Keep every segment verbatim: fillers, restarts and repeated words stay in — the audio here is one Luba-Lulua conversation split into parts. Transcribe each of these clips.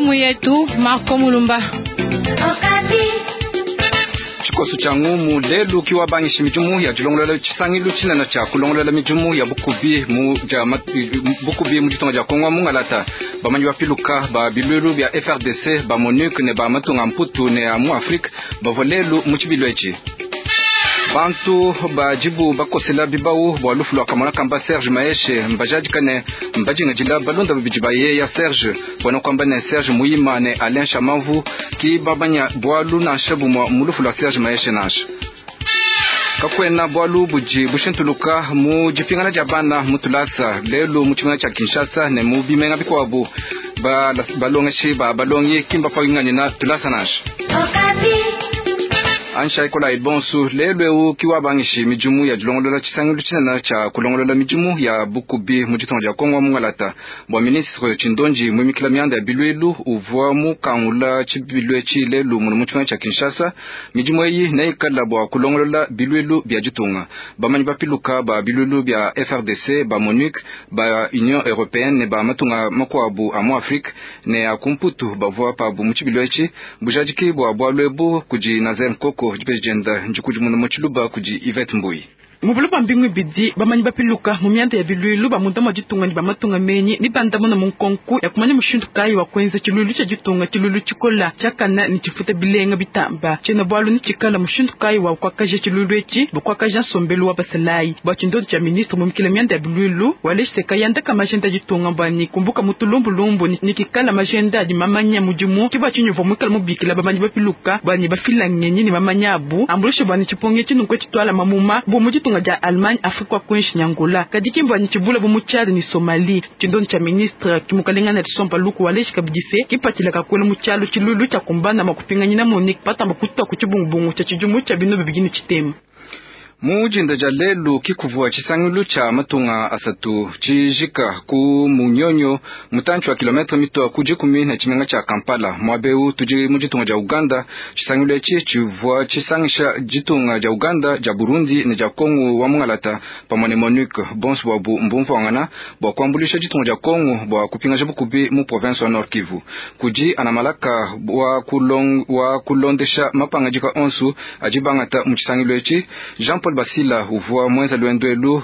Ngumu yetu Marco Mulumba. Tshikoso tshia ngumu lelu kiwabangisha midimu ya dilongolola tshisangilu tshinene tshia kulongolola midimu ya bukubi mu dia bukubi mu ditunga dia Kongo mungalata. Bamanyi bapiluka ba bilwelu bia F R D C ba MONUC ne ba matunga mputu ne a mu Afrique bavua lelu mu tshibilu etshi. Bantu bajibu bakosela bibau bua lufu lua kamona kamba Serge Maeshe mbajadika ne mbajingadila balonda babidi ba yeya Serge bwana kwamba ne Serge Muima ne Alain Chamavu ki babanya bwalu nansha bumwa mu lufu lua Serge Maeshe nansha. Kakwena bwalu buji bushintuluka mu dipingana dia bana mu tulasa lelu mu tshimenga tshia Kinshasa ne mu bimenga bikuabu ba balongeshi ba balongi kimba panganyina tulasa nansha. Ansha ikola ibonsu lelu eu kiwabangishi midimu ya dilongolola tshisangilu tshinene tshia kulongolola midimu ya bukubi mu ditunga dia Kongo mungalata. Bua ministre Tshindonji muimikila mianda ya bilwelu uvua mukangula tshibilu etshi lelu muno mu tshimenga tshia Kinshasa. Midimu eyi neikala bua kulongolola bilwelu bia ditunga. Bamanyi bapiluka ba bilwelu bia F R D C ba MONUC ba Union Européenne ne ba matunga makuabu a mu Afrique ne a kumputu bavua pabu mu tshibilu etshi bujadiki bua bualu ebu kudi Nazer Nkoko dipejenda njikudi muno mu kudi Yvette Mbui. Mubulu ba mbingu bidi bamanyi bapiluka mu mianda ya bilwilu ba munda mwa ditunga ni ba matunga menyi ni bandamuna mu nkonku ya kumanya mushindu kayi wa kwenza tshilulu tshia ditunga tshilulu tshikola tshiakana ni tshifuta bilenga bitamba tshiena bualu ni tshikala mushindu kayi wa kuakaja tshilulu etshi bukuakaja nsombelu wa basalayi bua tshindondo tshia ministre mumikila mianda ya bilwilu waleshiteka yandaka majenda ditunga bwani kumbuka mutulumbulumbu ni kikala majenda adi mamanya mudimu kibwa tshinyuvua muikala mubikila bamanyi bapiluka bwani bafila ngenyi ni mamanya abu ambulushe bwani tshiponge tshinunku tshitwala mamuma bu mu ditunga dia Allemagne Afrika wa kuinshi Nyangola kadiki mbwa chibula bu mu Tchad ni Somalie. Tshindondo tshia ministre kimukalenga na tsompa luku waleshi kabidise kipatila kakwela mu tshialo tshilulu tshia kumbana makupinganyina Monique patamba kutwa ku tshibungubungu tshia tshidimu tshia bino bibidi tshitema. Mu dinda dia lelu kikuvua tshisangilu tshia matunga asatu tshijika ku Munyonyo mutantshi wa kilometre mito ku dikumi ne tshimenga tshia Kampala mwabeu tudi mu ditunga dia Uganda. Tshisangilu etshi tshivua tshisangisha ditunga dia Uganda dia Burundi ne dia Kongo wa mungalata pamue ne MONUC bonso bwabu mbumvuangana bua kuambulisha ditunga dia Kongo bua kupingaja bukubi mu province wa Nord Kivu. Kudi anamalaka wa kulong, wa kulondesha mapangadika onsu adi bangata mu tshisangilu etshi. Jean Paul Basila uvua mwenza lwendwelu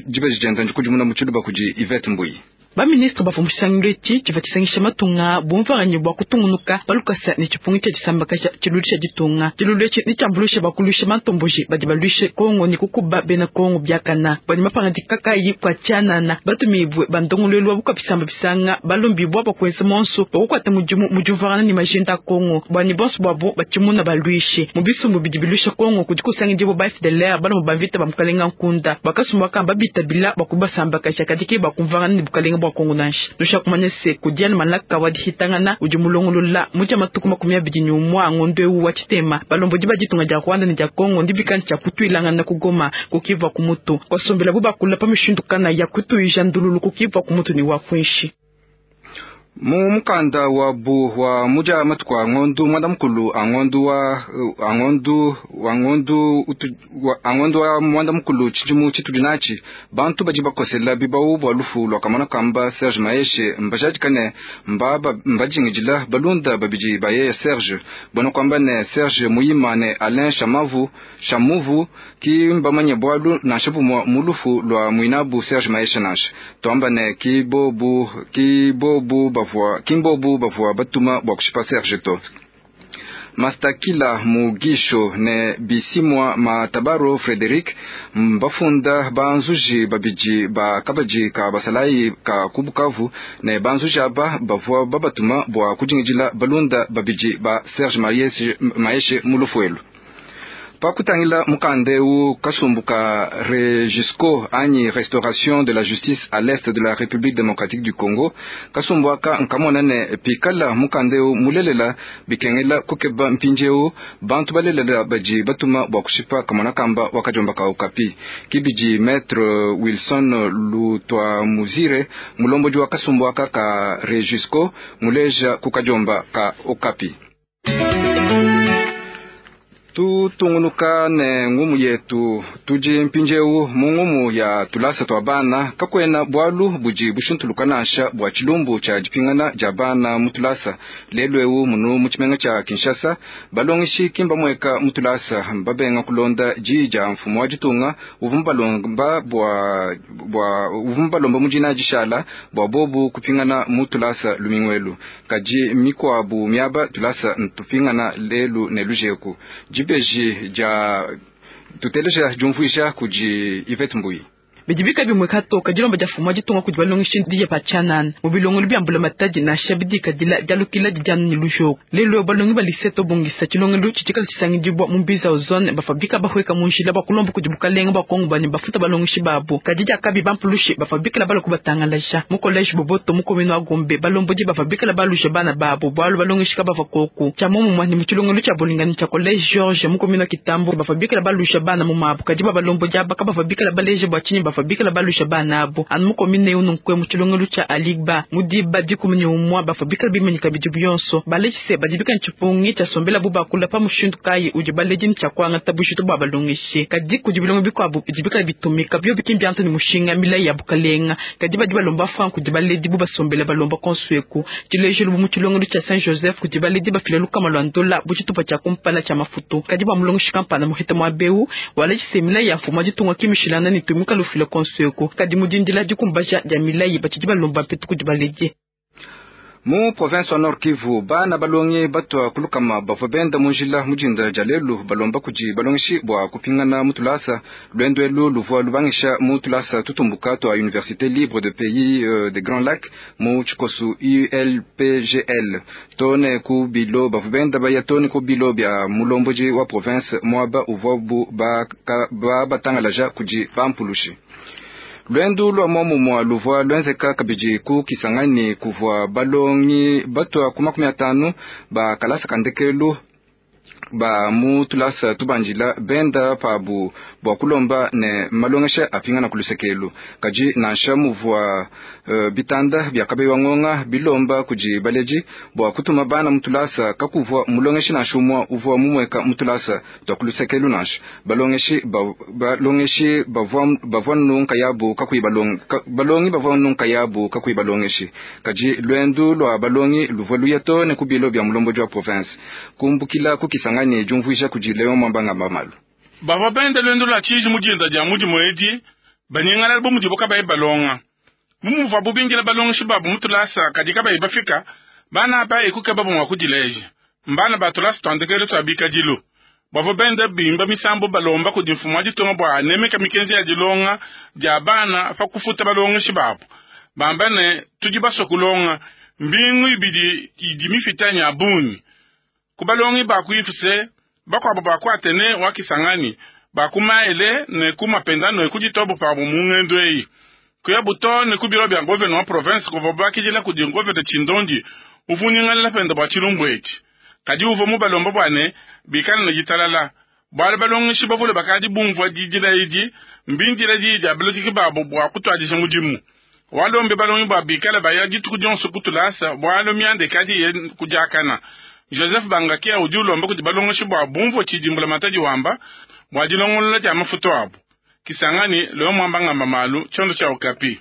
dibeji ndikudimuna mu tshiluba kudi Yvette Mbui. Ba ministre bavua mu tshisangilu etshi tshivua tshisangisha matunga bumvuanganye bua kutungunuka balukasa ne tshipungi tshia disambaka tshilulu tshia ditunga. Tshilulu etshi ne tshiambuluishe bakulushe mantomboji badi baluishe Kongo ne kukuba bena Kongo biakana bwani mapangadika kayi kwa tshianana batumibwe bandongoluelu wa bukapisamba bisanga balombibwa bakwenza monso bakukwata mudimu mu diumvuangana ne majenda a Kongo bwani bonso bwabo batshimuna baluishe mu bisumbu bidi biluisha Kongo kudi kusangidibwa ba F D L R balomo bamvita ba mukalenga nkunda bakasumba bakamba bitabila bakubasambakasha kadiki bakumvuangana ne bukalenga bwa Kongo nansha nusha kumanya se kudiana malaka wa dihitangana udi mulongolola muja matuku makumi abidi ni umwa ngondo ewu wa tshitema balombodi ba ditunga dia Rwanda ne dia Kongo ndi bikani tshia kutuilangana ku Goma kukivwa ku mutu kwasombela bu bakula pa mishindu kana ya kutuija ndululu kukivwa ku mutu ni wa kwinshi. Mu mukanda wa bu wa muja matuku a ngondu mwanda mukulu a ngondu wa a ngondu wa ngondu utu wa a ngondu wa mwanda mukulu tshidimu tshitudi natshi bantu badi bakosela bibau bua lufu lua kamona kamba Serge Maeshe mbajadika ne mbaba mbajingidila balunda babidi ba ye Serge bona kwamba ne Serge Muima ne Alain Chamavu Chamuvu ki mbamanye bwalu nansha bumwa mu lufu lua mwinabu Serge Maeshe nansha twamba ne ki bobu ki bobu bavua kimbobu bavua batuma bua kushipa Serge to. Mastakila Mugisho ne Bisimwa Matabaro Frederic mbafunda banzuji babidi ba kabaji ka basalayi ka kubukavu ne banzuji aba bavua babatuma bua kujingidila balunda babidi ba Serge Maeshe mu lufuelu. Pakutangila mukandeu kasumbuka Regisco anyi Restauration de la Justice à l'Est de la République démocratique du Congo kasumbuaka nkamona ne pikala mukandeu mulelela bikengela kukeba mpinjeu bantu balelela baji batuma bua kushipa kamona kamba wakajomba ka Okapi kibiji Maître Wilson Lutwa Muzire mulomboji wa kasumbuaka ka Regisco muleja kukajomba ka Okapi. Tutungunuka ne ngumu yetu tudi mpindieu mu ngumu ya tulasa twa bana kakwena bwalu budi bushintuluka nansha bwa tshilumbu tshia dipingana dia bana mu tulasa lelu eu munu mu tshimenga tshia Kinshasa balongeshi kimba mweka mu tulasa babenga kulonda diyi dia mfumu wa ditunga uvua mubalomba bwa bwa uvua mubalomba mu dina dishala bwa bobu kupingana mu tulasa lumingwelu kadi mikwabu miaba tulasa ntupingana lelu ne lujeku dibeji dia tuteleja diumvuija kudi Yvette Mbuyi. Bidibika bimwe katoka dilomba dia mfumu wa ditunga kudi balongeshi diya pa tshianana mu bilongelo bia mbula matadi nansha bidikadila dialukila didianu ne lujoko lelo balongi ba lycée tobongisa tshilongelo tshitshikala tshisangidibwa mu mbiza ozone bafabika bahweka mu njila bakulomba kudi bukalenga bwa Kongo bane bafuta balongeshi babo kadi diakabi bampulushi bafabikala bala kubatangalaja mu collège Boboto mu commune wa Gombe balombodi bafabikala balusha bana babo bwalu balongeshi kabava koku tshia momumwa ni mu tshilongelo tshia bolingani tshia collège George mu commune wa Kitambo bafabikala balusha bana mu mabo kadi babalombodi aba kabafabikala baleje bwa tshinyi bafabikala balusha bana abo anu mu commune eu nunkwe mu tshilongelo tshia Aligba mu diba dikumi ne umwa bafabikala bimanyika bidi bionso balejise badibika ntshipungi tshiasombela bu bakula pa mushindu kayi udi baledi ni tshiakuangata bushitu bwa balongeshi kadi kudi bilongo bikuabu bidibikala bitumika bio bikimbianta ni mushinga milayi ya bukalenga kadi badi balomba franc kudi baledi bu basombela balomba konsueku tshilejelu bu mu tshilongelo tshia Saint Joseph kudi baledi bafila lukama lwa ndola bu tshitupa tshia kumpala tshia mafutu kadi bwa mulongeshi kampana muhita mwa beu walejise milayi ya mfumu wa ditunga kimishilana ni tumika lufila konsueku kadi mudindila dikumbaja dia milayi batshidi balomba mpetu kudi baledi. Mu province wa Nord Kivu bana balongi batwa kulukama bavua benda mu njila mujinda dia lelu balomba kudi balongeshi bwa kupingana mu tulasa lwendo elu luvua lubangisha mu tulasa tutumbuka twa Université Libre de Pays euh, de Grand Lac mu tshikosu U L P G L tone ku bilo bavua benda baya tone ku bilo bia mulomboji wa province mwaba uvua bu ba, ba batangalaja kudi bampulushi. Lwendu lwa momumwa luvua lwenzeka kabidi ku Kisangani kuvua balongi batwa ku makumi atanu ba kalasa kandekelu ba mu tulasa tubandila benda pabu bwa kulomba ne malongesha apingana kulusekelu kadi nansha muvua uh, bitanda bia kabewa ngonga bilomba kudi baleji bwa kutuma bana mutulasa kakuvua mulongeshi nansha umwa uvua mumweka mutulasa twa kulusekelu nansha balongeshi ba, balongeshi bavua bavua nunka yabu kakuyi balongi ka, balongi bavua nunka yabu kakuyi balongeshi kadi lwendu lwa balongi luvua luya to ne kubilo bia mulombo wa province kumbukila ku Kisangani jumvuisha kudi Leon Mwambanga Mamalu. Bavua benda lwendo lwa tshiji mujinda dia mudimu edi banyingala bu mudibo kabayi balonga mumuva bubingila balongeshi babu mutulasa kadi kabayi bafika bana aba ekuke babu mwa kudileja mbana batulasa twandekele twa bikadilu bavua benda bimba misambo balomba kudi mfumu wa ditunga bwa nemeka mikenji ya dilonga dia bana pa kufuta balongeshi babu bamba ne tudi baswe kulonga mbingu ibidi idi mifitanya bungi kubalongi bakuifuse bakwabo bakwatene wa Kisangani bakumaele ne kumapendano ekuditobo pabo mungendo eyi kuya buto ne kubilo bya governor wa province kuva bakidila kudi governor Chindondi uvunyingalela penda bwa tshilumbu etshi kadi uvo mu balomba bwane bikala ne ditalala bwale balongeshi bavule bakadi bumvua didila idi mbindila didi abalotiki babo bwa kutwadisha mudimu walombe balongi bwa bikala baya dituku dionso kutulasa bwalo myande kadi ye kudiakana Joseph Bangakia udi ulomba kudi balongeshi bwa bumvua tshidimbula matadi wamba bwa dilongolola dia mafutu abu Kisangani Leo Mwambanga Mamalu tshiondo tshia Okapi.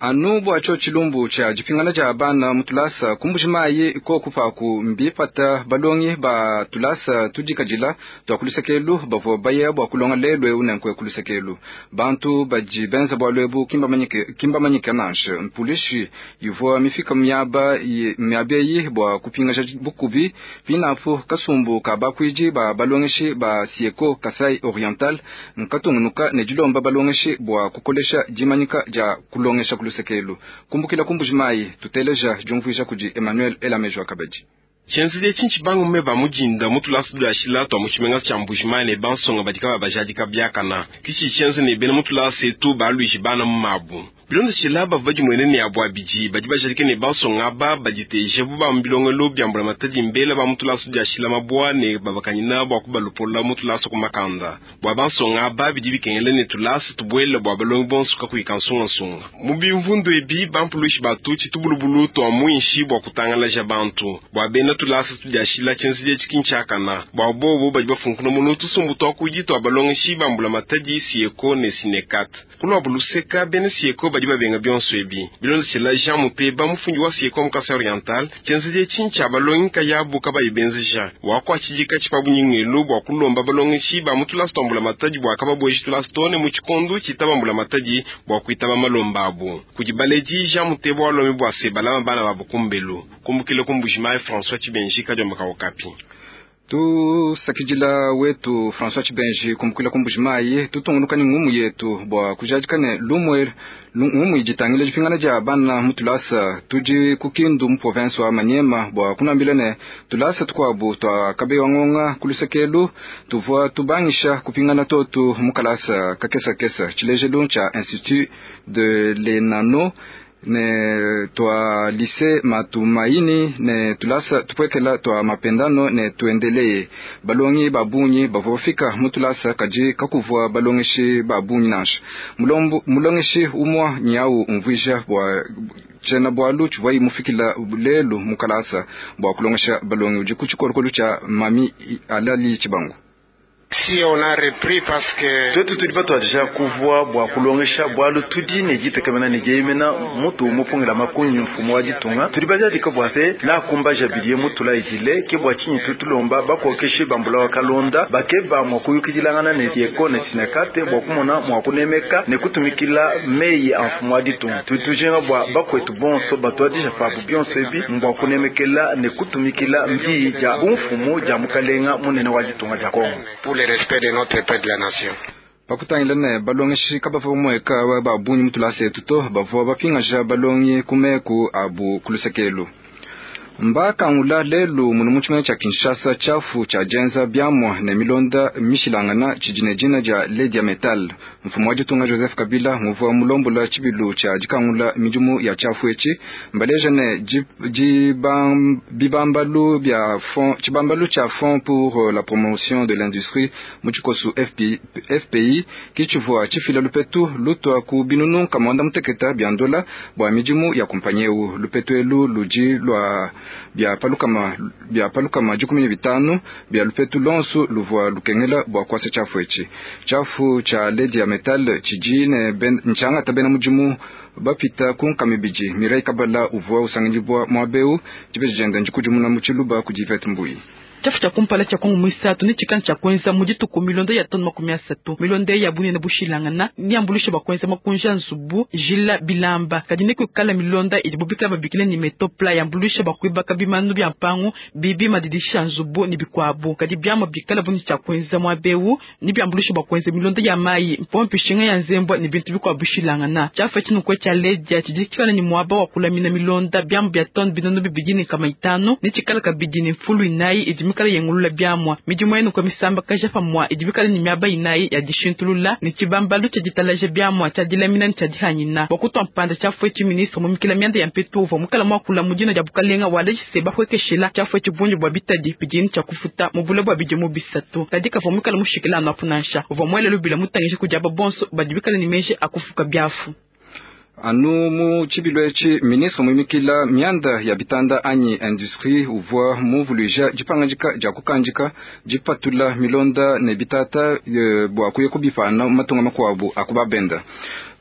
Anu bwa tsho tshilumbu tshia dipingana dia bana mutulasa kumbujimayi kokupaku mbipata balongi ba tulasa tudikadila twa kulusekelu bavua baya bwa kulonga lelu eu nenkwe kulusekelu bantu badi benza bwa lwebu kimbamanyike kimbamanyike nansha mpulishi ivua mifika miaba miabeyi bwa kupingasha bukubi pinapu kasumbu ka bakwiji ba balongeshi ba Sieko Kasai Oriental nkatungunuka ne dilomba balongeshi bwa kukolesha dimanyika dia kulongesha kulusekelu kumbukila kumbujimayi tuteleja jumvuisha kudi Emmanuel Elamejo Akabadi. Tshenzele tshintshi bangu me ba mujinda mutulasa dula twa mutshimenga tshia Mbujimayi ne bansonga badika babajadika biakana kichi tshienze ne bena mutulasa etu baluishi bana mu mabu Bilondeshila bavua badimuene ne abo abidi badi bajadike ne bansonga aba baditeje bu ba mu bilongelo bia mbulamatadi mbela ba mu tulasa diashila mabwa ne babakanyina bua kubalupola mu tulasa ku makanda. Bua bansonga aba bidi bikengela ne tulasa tubuela bua balongi bonso kakuyi kansungasunga. Mu bimvundu ebi bampuluishi batu tshitubulubulu tua muinshi bua kutangalaja bantu. Bua bena tulasa tudiashila tshienzedi etshi kintshiakana. Bua bobo badi bafunkuna munu tusumbu tua kudi tua balongeshi ba mbulamatadi Sieko ne Sinekat. Kulua buluseka bena Sieko badi babenga bionso ebi. Bilondeshila Jean Muteba mufundi wa Sieko mu Kasai Oriental tshienzedi etshi ntshia balongi nkayabu kabayi benzeja. Wakuatshidika tshipabunyingelu bua kulomba balongeshi ba mu tulasa tua mbulamatadi bua kababueji tulasa too ne mu tshikondo tshitaba mbulamatadi bua kuitaba malomba abu. Kudi baledi Jean Muteba walomi bua se balama bana babu kumbelu. Kumbukile ku Mbujimayi François Tshibenji kadiomba ka Okapi. Tusakidila wetu François Tshibenji kumbukila ku Mbujimayi tutungunuka ne ngumu yetu bua kujadika ne lumwe ngumu iditangila dipingana dia bana mu tulasa tudi ku Kindu mu province wa Maniema bua kunambila ne tulasa tukuabu tua kabewa ngonga kulusekelu tuvua tubangisha kupingana totu mu kalasa kakesa kesa tshilejelu tshia Institut de l'Enano ne tua lycée Matumaini ne tulasa tupwekela tua mapendano ne tuendelee balongi babunyi bavua bafika mu tulasa kadi kakuvua balongeshi babunyi nansha mulombu mulongeshi umwa nyau umvuija bua tshena bwalu tshivua imufikila lelu mu kalasa bua kulongesha balongi udi ku tshikolokolo tshia mami alali tshibangu. Si on a repris parce que twetu tudi batuadija kuvua bua kulongesha bwalu tudi ne ditekemena ne dieyemena mutu mupungila makunyi mfumu wa ditunga tudi bajadika bua se nakumbaja bidiye mutula idile ke bua tshinyi tutulomba bakokeshe bambula wa kalonda bakeba mua kuyukidilangana ne Sieko ne Sinekate bua kumona mua kunemeka ne kutumikila meyi a mfumu wa ditunga. Tudi tujinga bua bakwetu bonso batuadija pabu bionso ebi mbua kunemekela ne kutumikila mbiyi dia bumfumu dia mukalenga munene wa ditunga dia Kongo. Pour le respect de notre peuple de la nation. Pakutangila ne balongeshi kabavua mweka babunyi mu tulasa etu to bavua bapingaja balongi ku meku abu kulusekelu. Mbakangula lelu munu mu tshimenga tshia Kinshasa tshiafu tshia dienza biamua ne milonda mishilangana tshidi ne dina dia Ledia Metal. Mfumu wa ditunga Joseph Kabila muvua mulombola tshibilu tshia dikangula midimu ya tshiafu etshi mbaleja ne bibambalu bia fond tshibambalu tshia Fonds pour la promotion de l'industrie mu tshikosu F P I kitshivua tshifila lupetu lutua ku binunu kamwanda muteketa bia ndola bua midimu ya kumpanyi eu. Lupetu elu ludi lua bia palukama bia palukama dikumi ne bitanu bia lupetu lonsu luvua lukengela bua kuasa tshiafu etshi. Tshiafu tshia Ledia Metal tshidi ne ntshangata bena mudimu bapita ku nkama ibidi. Mireille Kabala uvua usangidibua muaba eu dibeji diende ndikudimuna mu tshiluba kudi Ivete Mbuyi. Tshiafu tshia kumpala tshia Kongo muisatu ne tshikana tshia kuenza mu dituku milonda ya tonu makumi asatu. Milonda ya bunene bushilangana niambuluishe bua kuenza makunja nzubu jila bilamba kadi ne kuikala milonda idibo bikala babikila ni metopla yambuluishe bua kuibaka bimanu bia mpangu bibi madidisha nzubu ni bikuabu kadi biamua bikala buni tshia kuenza muaba eu ni biambuluishe bua kuenza milonda ya mayi mpompi shinga ya nzembwa ni bintu bikuabu bishilangana. Tshiafu tshinukwe tshia Ledia tshidi tshikala ni muaba wa kulamina milonda biamu bia tonu binono bibidi ne nkama itanu ne tshikala kabidi ne mfulu inayi idi mikala yengulula biamua midimu yenu kwa misamba kaja pamua idi bikala ni miaba inayi ya dishintulula ne tshibambalu tshia ditalaja biamua tshia dilamina ne tshia dihanyina bua kutua mpanda tshiafu etshi ministre mumikila mianda ya mpetu uvua mukala muakula mu dina dia bukalenga walejise bahuekeshela tshiafu etshi bungi bua bitadi bidini tshia kufuta mu bule bua bidimu bisatu kadi kavua mukala mushikila anu apu nansha uvua muele lubila mutangishe kudi aba bonso badi bikala ne meji akufuka biafu. Anu mu tshibilu etshi ministre muimikila mianda ya bitanda anyi industrie uvua muvuluija dipangadika dia kukandika dipatula milonda ne bitata e, bua kuya kubipana matunga makuabu akubabenda.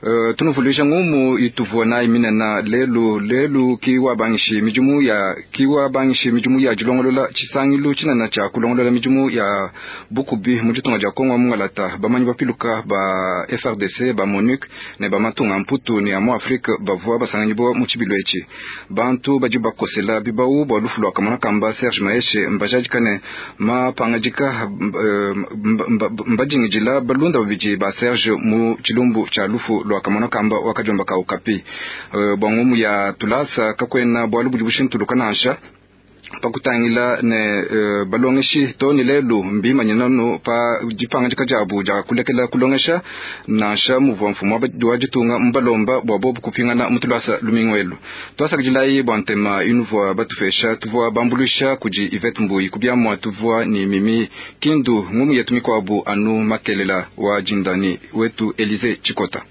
Uh, tunuvuluija ngumu ituvua nayi minena lelu lelu kiwabangishi midimu ya kiwabangishi midimu ya dilongolola tshisangilu tshinene tshia kulongolola midimu ya bukubi mu ditunga dia Kongo mungalata bamanyi bapiluka ba F R D C ba MONUC ne ba matunga mputu ne ya mu Afrique bavua basanganyibwa mu tshibilu etshi. Bantu badi bakosela bibau bua lufu lua kamona kamba Serge Maheshe mbajadika ne mapangadika mbadingidila balunda babidi ba Serge mu tshilumbu tshia lufu lua kamona kamba wakajomba ka Okapi. Uh, bua ngumu ya tulasa kakwena bwalu budi bushintuluka nansha Pakutangila ne uh, balongeshi to ne lelu mbimanyina no pa dipangadika diabu dia kulekela kulongesha nansha muvua mfumu wa ditunga mubalomba bua bobu kupingana mu tulasa lumingu elu. Tuasakidilayi bua ntema inuvua batupesha tuvua bambuluisha kudi Yvette Mbuyi kubiamua tuvua ni Mimi Kindu ngumu yetu mikuabu anu makelela wa jindani wetu Elize Chikota.